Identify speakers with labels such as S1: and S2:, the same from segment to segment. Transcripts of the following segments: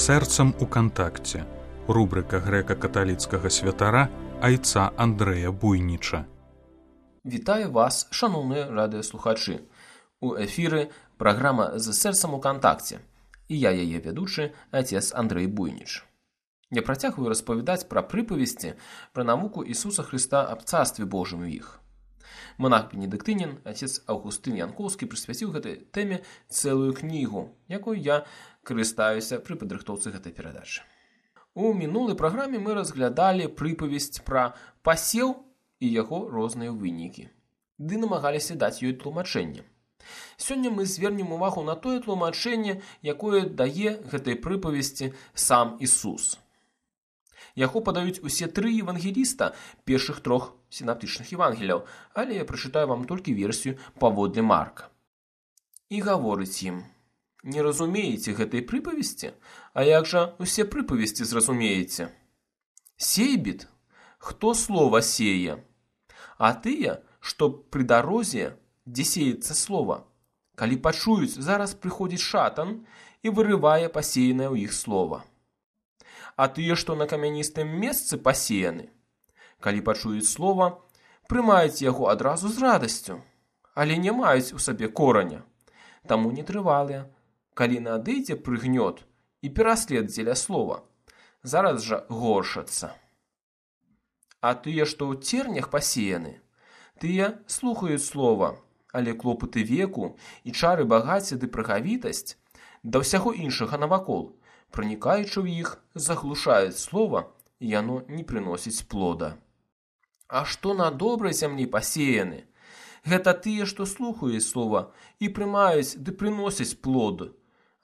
S1: сэрцам у кантакце. Рубрика грэка-каталіцкага святара айца Андрэя Буйніча.
S2: Вітаю вас, шановні радыёслухачы. У эфіры праграма «З сэрцам у кантакце». І я яе вядучы, отец Андрэй Буйніч. Я працягваю распавядаць пра прыпавесці, пра навуку Ісуса Хрыста аб Царстве Божым у іх. Монах-бенедыктынін, отец Аўгустын Янкоўскі прысвяціў гэтай тэме цэлую кнігу, якой я карыстаюся пры падрыхтоўцы гэтай перадачы. У мінулай праграме мы разглядалі прыпавесць пра пасеў і яго розныя вынікі, ды намагаліся даць ёй тлумачэнне. Сёння мы звернем увагу на тое тлумачэнне, якое дае гэтай прыпавесці сам Ісус. Яго падаюць усе тры евангеліста першых трох сінаптычных евангеліяў, але я прачытаю вам толькі версію паводле Марка. І гаворыць ім: «Не разумееце гэтай прыпавесці? А як жа усе прыпавесці зразумееце? Сейбіт, хто слова сее, а тыя, што пры дарозе, дзе сеецца слова, калі пачуюць, зараз прыходзіць шатан і вырывае пасеянае ў іх слова. А тыя, што на камяністым месцы пасеяны, калі пачуюць слова, прымаюць яго адразу з радасцю, але не маюць у сабе кораня, таму нетрывалыя. Калі надыдзе прыгнёт і пераслед дзеля слова, зараз жа горшацца. А тыя, што ў цернях пасеяны, тыя слухаюць слова, але клопаты веку і чары багацця ды прагавітасць да ўсяго іншага навакол, пранікаючы ў іх, заглушаюць слова, і яно не прыносіць плода. А што на добрай зямлі пасеяны? Гэта тыя, што слухаюць слова і прымаюць ды прыносяць плод.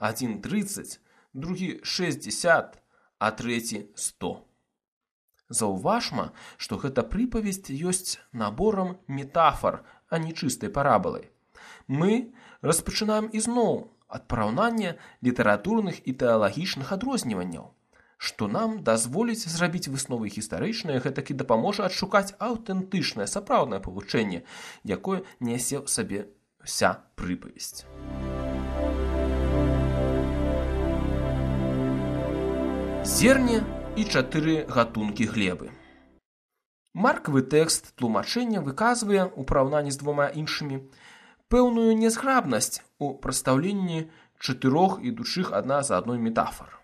S2: Адзін 30, другі 60, а трэці 100. Заўважма, што гэта прыпавесць ёсць наборам метафар, а не чыстай парабалай. Мы распачынаем ізноў ад параўнання літаратурных і тэалагічных адрозніванняў, што нам дазволіць зрабіць высновы гістарычныя, гэтак і дапаможа адшукаць аўтэнтычнае сапраўднае павучэнне, якое нясе ў сабе вся прыпавесць. Зерне і 4 гатункі глебы. Маркавы тэкст тлумачэння выказвае, у параўнанні з двума іншымі, пэўную нязграбнасць у прадстаўленні 4 ідучых адна за адной метафар.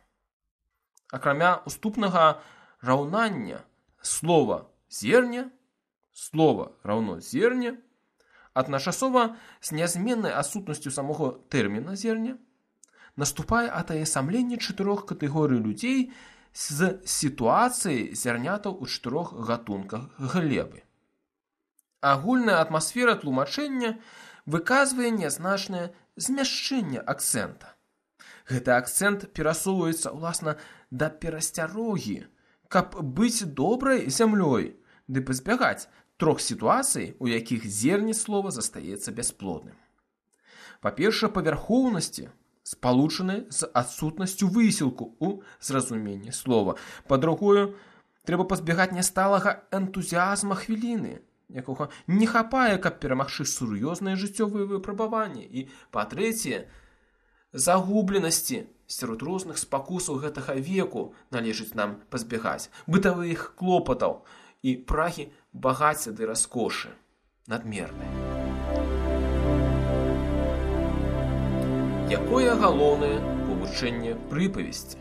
S2: Акрамя уступнага раўнання слова «зерне», слова раўно «зерне», адначасова з нязменнай адсутнасцю самога тэрміна «зерне» наступае атаясамленне 4 катэгорый людзей з сітуацыяй зярнятаў у 4 гатунках глебы. Агульная атмасфера тлумачэння выказвае нязначнае змяшчэнне акцэнта. Гэты акцэнт перасоўваецца, уласна, да перасцярогі, каб быць добрай зямлёй, ды пазбягаць 3 сітуацый, у якіх зерне слова застаецца бясплодным. Па-першае, павярхоўнасці, спалучаны з адсутнасцю высілку ў зразуменні слова. Па-другое, трэба пазбягаць нясталага энтузіазма хвіліны, якога не хапае, каб перамагчы сур'ёзныя жыццёвыя выпрабаванні. І, па-трэцяе, загубленасці сярод розных спакусаў гэтага веку належыць нам пазбягаць, бытавых клопатаў і прагі багацця ды раскошы надмернай. Якое галоўнае павучэнне прыпавесці?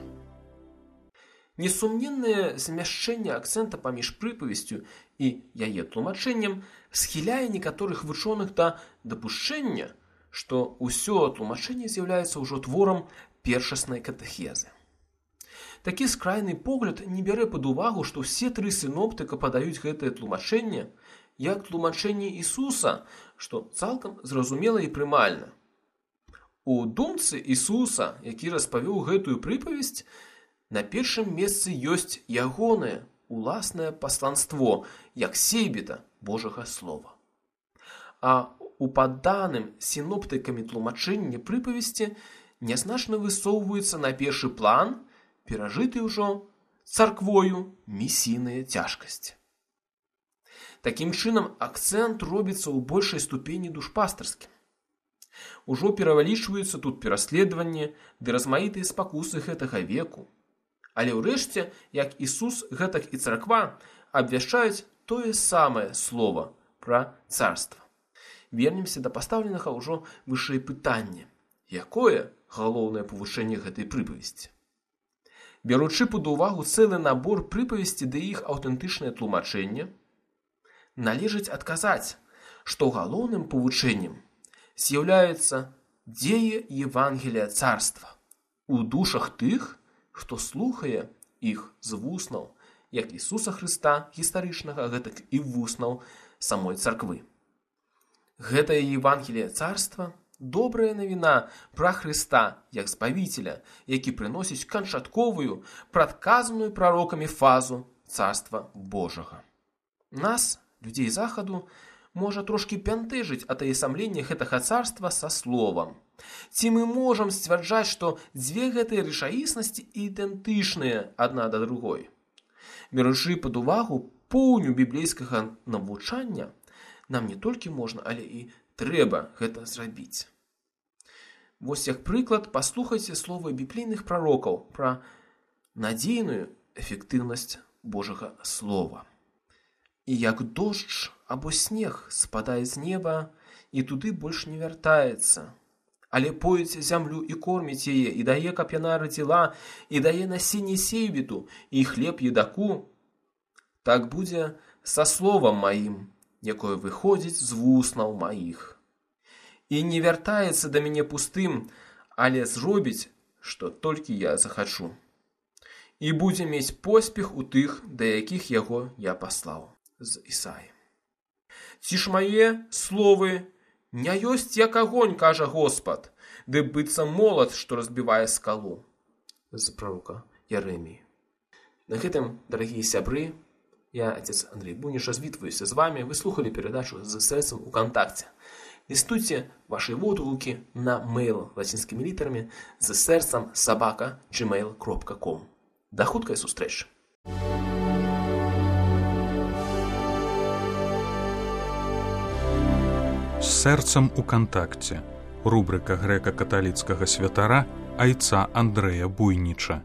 S2: Несумненнае змяшчэнне акцэнта паміж прыпавесцю і яе тлумачэннем схіляе некаторых вучоных да дапушчэння, што ўсё тлумачэнне з'яўляецца ўжо творам першаснай катэхезы. Такі скрайны погляд не бярэ пад увагу, што ўсе 3 сіноптыка падаюць гэтае тлумачэнне як тлумачэнне Ісуса, што цалкам зразумела і прымальна. У думцы Ісуса, які распавёў гэтую прыпавесць, на першым месцы ёсць ягонае уласнае пасланство, як сейбіта Божага слова. А у падданым сіноптыкамі тлумачэнні прыпавесці нязначна высоўваюцца на першы план перажыты ўжо царквою місійныя цяжкасці. Такім чынам, акцэнт робіцца ў большай ступені душпастарскім. Ужо перавялічваюцца тут пераследаванні ды размаітыя спакусы гэтага веку. Але ўрэшце, як Ісус, гэтак і царква абвяшчаюць тое самае слова пра царства. Вернемся да пастаўленага ўжо вышэй пытання. Якое галоўнае павышэнне гэтай прыпавесці? Бяручы пад увагу цэлы набор прыпавесці ды іх аўтэнтычнае тлумачэнне, належыць адказаць, што галоўным павучэннем з'яўляецца дзея Евангелія царства у душах тых, хто слухае іх з вуснаў, як Ісуса Хрыста гістарычнага, гэтак і вуснаў самой царквы. Гэтае Евангелие царства – добрая навіна пра Хрыста як збавіцеля, які прыносіць канчатковую, прадказаную прарокамі фазу царства Божага. Нас, людзей захаду, можа трошкі бянтэжыць атаясамленне гэтага царства са словам. Ці мы можам сцвярджаць, што дзве гэтыя рэчаіснасці ідэнтычныя адна да другой? Беручы пад увагу поўню біблейскага навучання, нам не толькі можна, але і трэба гэта зрабіць. Вось як прыклад, паслухайце словы біблейных прарокаў пра надзейную эфектыўнасць Божага слова. І як дождж або снег спадае з неба і туды больш не вяртаецца, але поіць зямлю і корміць яе, і дае, каб яна радзіла, і дае насенне сейбіту, і хлеб едаку, так будзе са словам маім, якое выходзіць з вуснаў маіх. І не вяртаецца да мяне пустым, але зробіць, што толькі я захачу. І будзе мець поспех у тых, да якіх яго я паслаў. З Ісаі. Ці ж мае словы не ёсць як агонь, кажа Господ, ды быццам молат, што разбівае скалу. З прарока Яреміі. На гэтым, дарагія сябры, я, отец Андрей Буйніч, развітваюся з вами. Вы слухали передачу «З сэрцам у кантакце». Лістуйте ваши водгукі на мейл лацінскімі літарамі з сэрцам @gmail.com. Да хуткай сустрэчы!
S1: З сэрцам у кантакце. Рубрика грэка-каталіцкага святара айца Андрэя Буйніча.